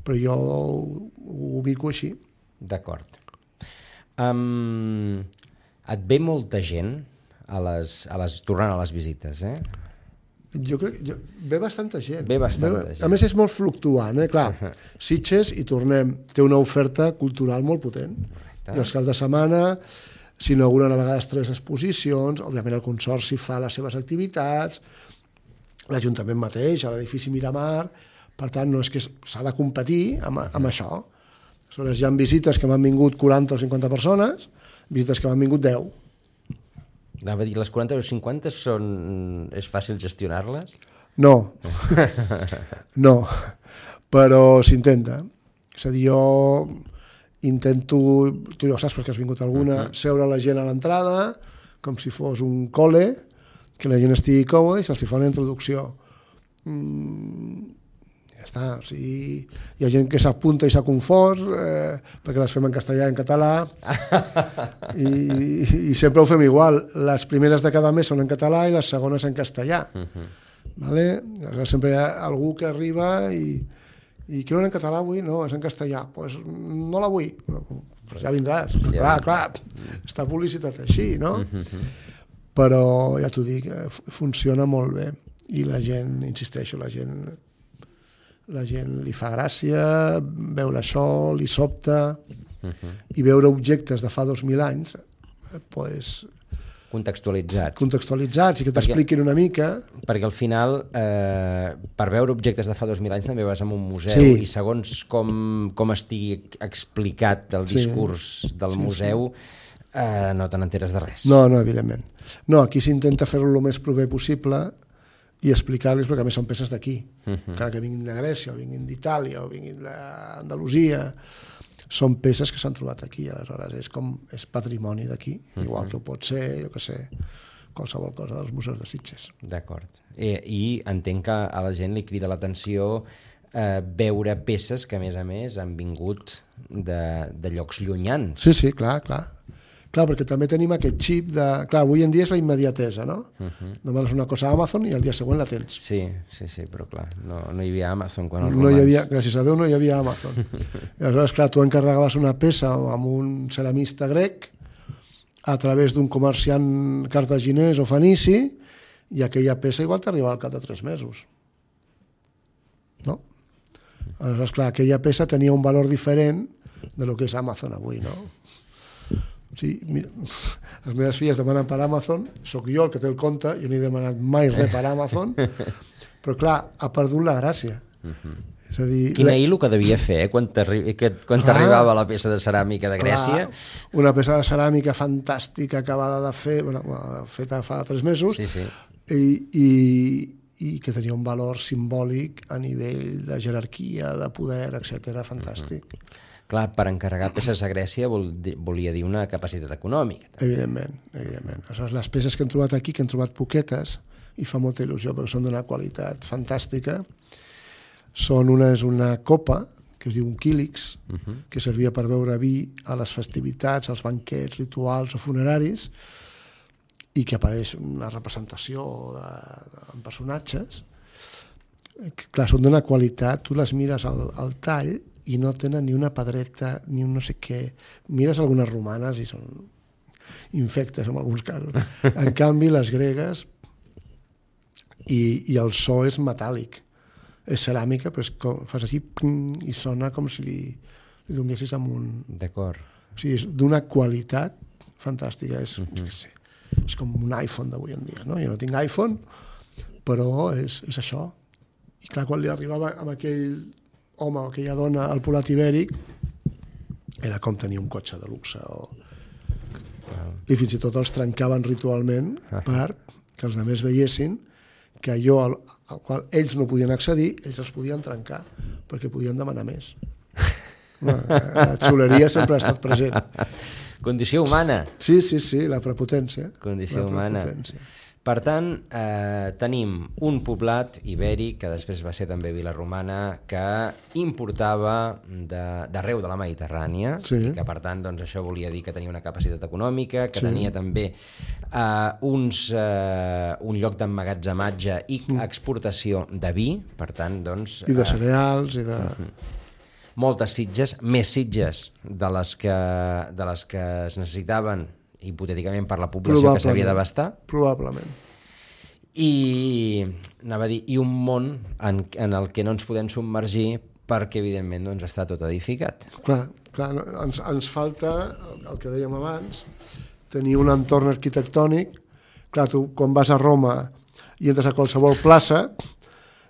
però jo ho, ho ubico així. D'acord. Um, et ve molta gent a les, a les, tornant a les visites, eh? Jo crec que ve bastanta gent. Ve bastanta ve, gent. A més, és molt fluctuant, eh? Clar, uh-huh. Sitges, i tornem, té una oferta cultural molt potent. Correcte. I els caps de setmana s'inauguren a vegades tres exposicions, òbviament el Consorci fa les seves activitats, l'Ajuntament mateix, a l'edifici Miramar, per tant, no és que s'ha de competir amb, amb això. Aleshores, hi ha visites que m'han vingut quaranta o cinquanta persones, visites que m'han vingut deu. Anava a dir, les quaranta o cinquanta són... és fàcil gestionar-les? No, no, però s'intenta. És a dir, jo intento, tu ja ho saps perquè has vingut alguna, uh-huh. seure la gent a l'entrada, com si fos un col·le, que la gent estigui còmoda i se'ls fa una introducció. Mm, ja està, o sigui, hi ha gent que s'apunta i s'ha confós, eh, perquè les fem en castellà i en català, i, i sempre ho fem igual. Les primeres de cada mes són en català i les segones en castellà. Uh-huh. Vale? Aleshores, sempre hi ha algú que arriba i i que no en català avui? No, és en castellà. Doncs pues no la vull. Pues ja vindràs. Ja. Clar, clar, està publicitat així, no? Uh-huh. però ja t'ho dic, funciona molt bé i la gent, insisteixo, la gent la gent li fa gràcia veure això, li sobta uh-huh. i veure objectes de fa dos mil anys pues, contextualitzats. contextualitzats i que t'expliquin una mica. Perquè al final, eh, per veure objectes de fa dos mil anys també vas a un museu sí. i segons com, com estigui explicat el discurs sí. del sí, museu sí. Eh, no te n'enteres de res. No, no, evidentment. No, aquí s'intenta fer-ho el més proper possible i explicar-los, perquè a més són peces d'aquí, uh-huh. encara que vinguin de Grècia, o vinguin d'Itàlia, o vinguin d'Andalusia, són peces que s'han trobat aquí, aleshores és com és patrimoni d'aquí, uh-huh. igual que ho pot ser, jo què sé, qualsevol cosa dels museus de Sitges. D'acord. I, I entenc que a la gent li crida l'atenció eh, veure peces que, a més a més, han vingut de, de llocs llunyans. Sí, sí, clar, clar. Clar, perquè també tenim aquest xip de... Clar, avui en dia és la immediatesa, no? Uh-huh. Demanes una cosa a Amazon i el dia següent la tens. Sí, sí, sí, però clar, no, no hi havia Amazon quan els no romans... Hi havia, gràcies a Déu no hi havia Amazon. I aleshores, clar, tu encarregaves una peça amb un ceramista grec a través d'un comerciant cartaginès o fenici i aquella peça igual t'arribava al cap de tres mesos. No? Aleshores, clar, aquella peça tenia un valor diferent de lo que és Amazon avui, no? Sí, mira, les meves filles demanen per Amazon, sóc jo el que té el compte, jo no he demanat mai res per Amazon, però clar, ha perdut la gràcia. Uh-huh. És a dir, quina la... il·lo que devia fer eh? quan t'arribava la peça de ceràmica de Grècia. Clar, una peça de ceràmica fantàstica acabada de fer, bueno, feta fa tres mesos, sí, sí. I, i, i que tenia un valor simbòlic a nivell de jerarquia, de poder, etcètera, fantàstic. Uh-huh. Clar, per encarregar peces a Grècia vol, volia dir una capacitat econòmica. També. Evidentment, evidentment. Aleshores, les peces que hem trobat aquí, que hem trobat poquetes, i fa molta il·lusió perquè són d'una qualitat fantàstica, són una, és una copa, que es diu un quílix, uh-huh. que servia per beure vi a les festivitats, als banquets rituals o funeraris, i que apareix una representació de, de, en personatges, que clar, són d'una qualitat, tu les mires al, al tall, i no tenen ni una pedreta, ni un no sé què. Mires algunes romanes i són infectes en alguns casos. En canvi, les gregues, i, i el so és metàl·lic. És ceràmica, però és com, fas així i sona com si li, li donessis amb un... D'acord. O sigui, és d'una qualitat fantàstica. És, uh-huh. és, és com un iPhone d'avui en dia, no? Jo no tinc iPhone, però és, és això. I clar, quan li arribava amb aquell... home o aquella dona al Polat Ibèric era com tenir un cotxe de luxe o... i fins i tot els trencaven ritualment perquè els altres veiessin que allò al, al qual ells no podien accedir, ells els podien trencar perquè podien demanar més. La xuleria sempre ha estat present. Condició humana. Sí, sí, sí, la prepotència. Condició la humana. Prepotència. Per tant, eh, tenim un poblat ibèric, que després va ser també vila romana, que importava d'arreu de, de la Mediterrània, sí. i que per tant doncs, això volia dir que tenia una capacitat econòmica, que sí. tenia també eh, uns, eh, un lloc d'emmagatzematge i mm. exportació de vi, per tant, doncs... I de cereals, eh, i de... Uh-huh. Moltes sitges, més sitges de les que, de les que es necessitaven hipotèticament per la població que s'havia d'abastar. Probablement. I, anava a dir, i un món en, en el que no ens podem submergir perquè, evidentment, doncs, està tot edificat. Clar, clar ens, ens falta, el que dèiem abans, tenir un entorn arquitectònic. Clar, tu quan vas a Roma i entres a qualsevol plaça,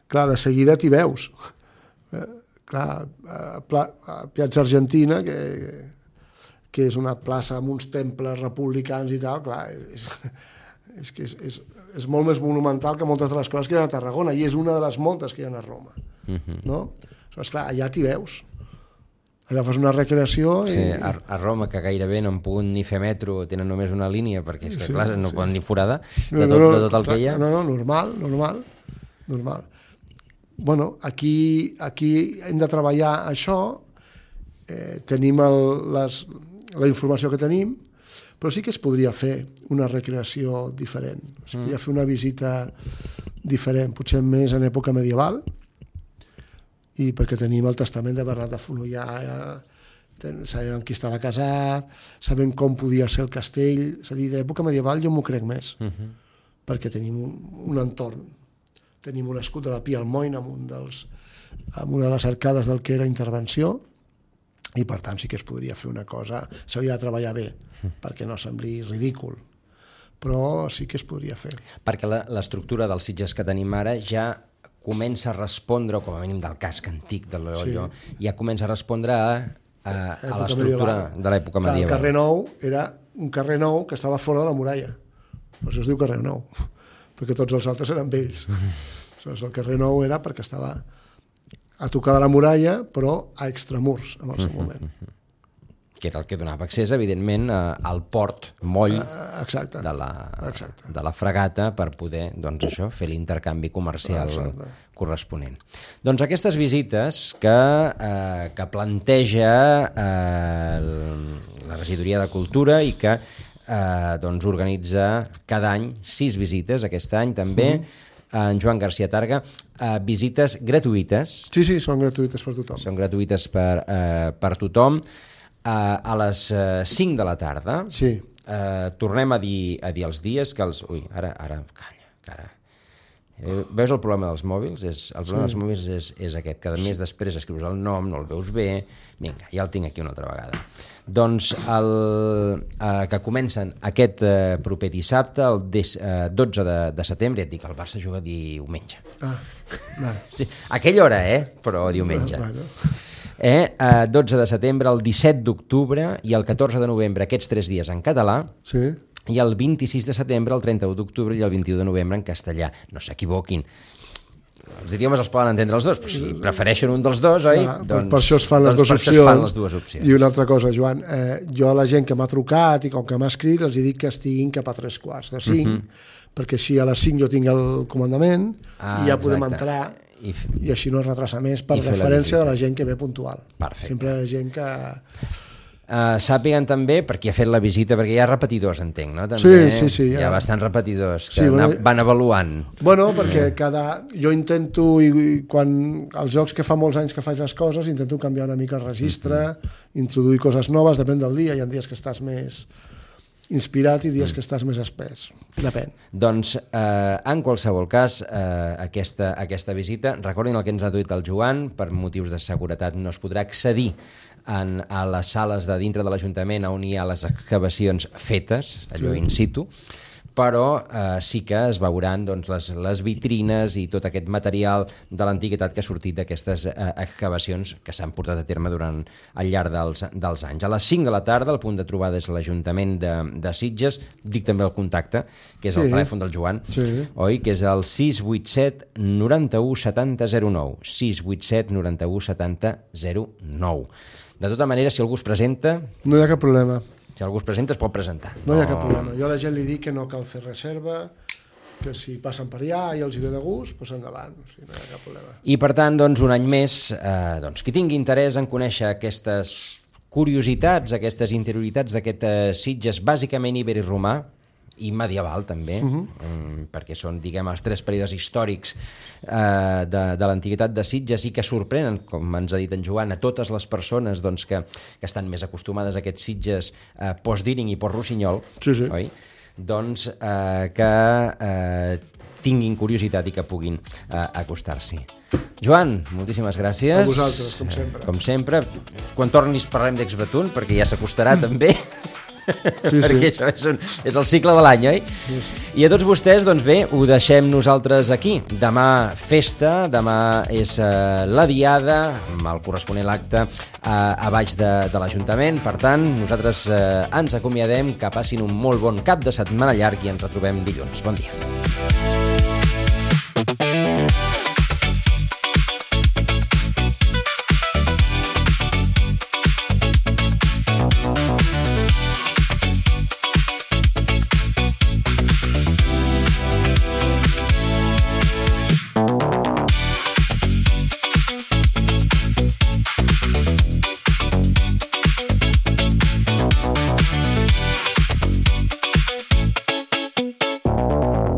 clar, de seguida t'hi veus. Eh, clar, a, a, a Piazza Argentina, que... que és una plaça amb uns temples republicans i tal, clar, és, és que és, és, és molt més monumental que moltes de les coses que hi ha a Tarragona, i és una de les moltes que hi ha a Roma. Uh-huh. No? Doncs clar, allà t'hi veus. Allà fas una recreació... I... Sí, a, a Roma, que gairebé no han pogut ni fer metro, tenen només una línia, perquè és que, sí, clar, no sí. poden ni foradar de tot, no, no, de tot el clar, que hi ha. No, no, normal, normal, normal. Bueno, aquí, aquí hem de treballar això, eh, tenim el, les... la informació que tenim, però sí que es podria fer una recreació diferent. Es mm. podria fer una visita diferent, potser més en època medieval, i perquè tenim el testament de Bernat de Fonollà, sabent qui estava casat, sabent com podia ser el castell, és a dir, d'època medieval jo m'ho crec més, uh-huh. perquè tenim un, un entorn, tenim un escut de la Pia Almoina amb, un dels, amb una de les arcades del que era intervenció, i per tant sí que es podria fer una cosa, s'hauria de treballar bé, uh-huh. perquè no sembli ridícul, però sí que es podria fer. Perquè l'estructura dels Sitges que tenim ara ja comença a respondre, o com a mínim del casc antic de l'Olló, sí. ja comença a respondre a, a, a l'estructura de l'època medieval. El carrer Nou era un carrer nou que estava fora de la muralla. Per això es diu carrer Nou, perquè tots els altres eren vells. Aleshores, el carrer Nou era perquè estava a tocar de la muralla, però a extramurs, en el seu moment. Que era el que donava accés, evidentment, al port moll Exacte. De, la, Exacte. de la fragata per poder, doncs això, fer l'intercanvi comercial Exacte. corresponent. Doncs aquestes visites que, eh, que planteja eh, la Regidoria de Cultura i que eh, doncs organitza cada any sis visites, aquest any també, mm. en Joan García Targa, eh, visites gratuïtes. Sí, sí, són gratuïtes per tothom. Són gratuïtes per, eh, per tothom. A les cinc de la tarda, sí. eh, tornem a dir, a dir els dies que els... Ui, ara, ara, calla, cara. Eh, veus el problema dels mòbils? És, el problema sí. dels mòbils és, és aquest, que a més després escrius el nom, no el veus bé... Vinga, ja el tinc aquí una altra vegada. Doncs el, eh, que comencen aquest eh, proper dissabte, el des, eh, dotze de, de setembre, ja et dic, el Barça juga diumenge. Ah, vale. Sí, a aquella hora, eh? Però diumenge. Vale, vale. Eh, eh, dotze de setembre, el disset d'octubre i el catorze de novembre, aquests tres dies en català, sí. i el vint-i-sis de setembre, el trenta-u d'octubre i el vint-i-u de novembre en castellà. No s'equivoquin. Els idiomes els poden entendre els dos, però si prefereixen un dels dos, oi? Clar, doncs, per això es fan, doncs les, dues per això es fan les dues opcions. I una altra cosa, Joan, eh, jo a la gent que m'ha trucat i com que m'ha escrit els dic que estiguin cap a tres quarts de cinc, uh-huh. perquè així a les cinc jo tinc el comandament ah, i ja podem exacte. entrar... I, f... i així no es retrasa més per referència la de la gent que ve puntual. Perfecte. Sempre hi ha gent que... Uh, sàpiguen també per qui ha fet la visita, perquè hi ha repetidors, entenc, no? També, sí, sí, sí. Hi ha ja. bastants repetidors que sí, bueno, van avaluant. Bueno, perquè cada... Jo intento, i, i quan els jocs que fa molts anys que faig les coses, intento canviar una mica el registre, uh-huh. introduir coses noves, depèn del dia, hi ha dies que estàs més... inspirat i dies que estàs més espès. Depèn. Doncs, eh, en qualsevol cas, eh, aquesta, aquesta visita, recordin el que ens ha dit el Joan, per motius de seguretat no es podrà accedir en, a les sales de dintre de l'Ajuntament on hi ha les excavacions fetes, allò sí. in situ, però eh, sí que es veuran doncs, les, les vitrines i tot aquest material de l'antiguitat que ha sortit d'aquestes eh, excavacions que s'han portat a terme durant al llarg dels, dels anys. A les cinc de la tarda, el punt de trobada és l'Ajuntament de, de Sitges, dic també el contacte, que és el sí. telèfon del Joan, sí. oi? Que és el sis vuit set noranta-u setanta zero nou, sis vuit set noranta-u setanta zero nou. De tota manera, si algú es presenta... No hi ha cap problema. Si algú es presenta, es pot presentar. No, no hi ha cap problema. Jo a la gent li dic que no cal fer reserva, que si passen per allà i els hi ve de gust, doncs endavant. O sigui, no hi ha cap problema. I per tant, doncs, un any més, eh, doncs, qui tingui interès en conèixer aquestes curiositats, aquestes interioritats d'aquest eh, Sitges, bàsicament iberi-romà, i medieval també, uh-huh. um, perquè són, diguem, els tres períodes històrics uh, de, de l'antiguitat de Sitges i que sorprenen, com ens ha dit en Joan, a totes les persones doncs, que, que estan més acostumades a aquests Sitges uh, post-Díring i post-Rossinyol, sí, sí. oi? Doncs uh, que uh, tinguin curiositat i que puguin uh, acostar-s'hi. Joan, moltíssimes gràcies. A vosaltres, com sempre. Com sempre. Quan tornis parlem d'Exbatun, perquè ja s'acostarà també. Sí, perquè sí. això és, un, és el cicle de l'any, oi? Sí, sí. I a tots vostès, doncs bé, ho deixem nosaltres aquí. Demà festa, demà és uh, la diada, amb el corresponent acte uh, a baix de, de l'Ajuntament. Per tant, nosaltres uh, ens acomiadem, que passin un molt bon cap de setmana llarg i ens retrobem dilluns. Bon dia.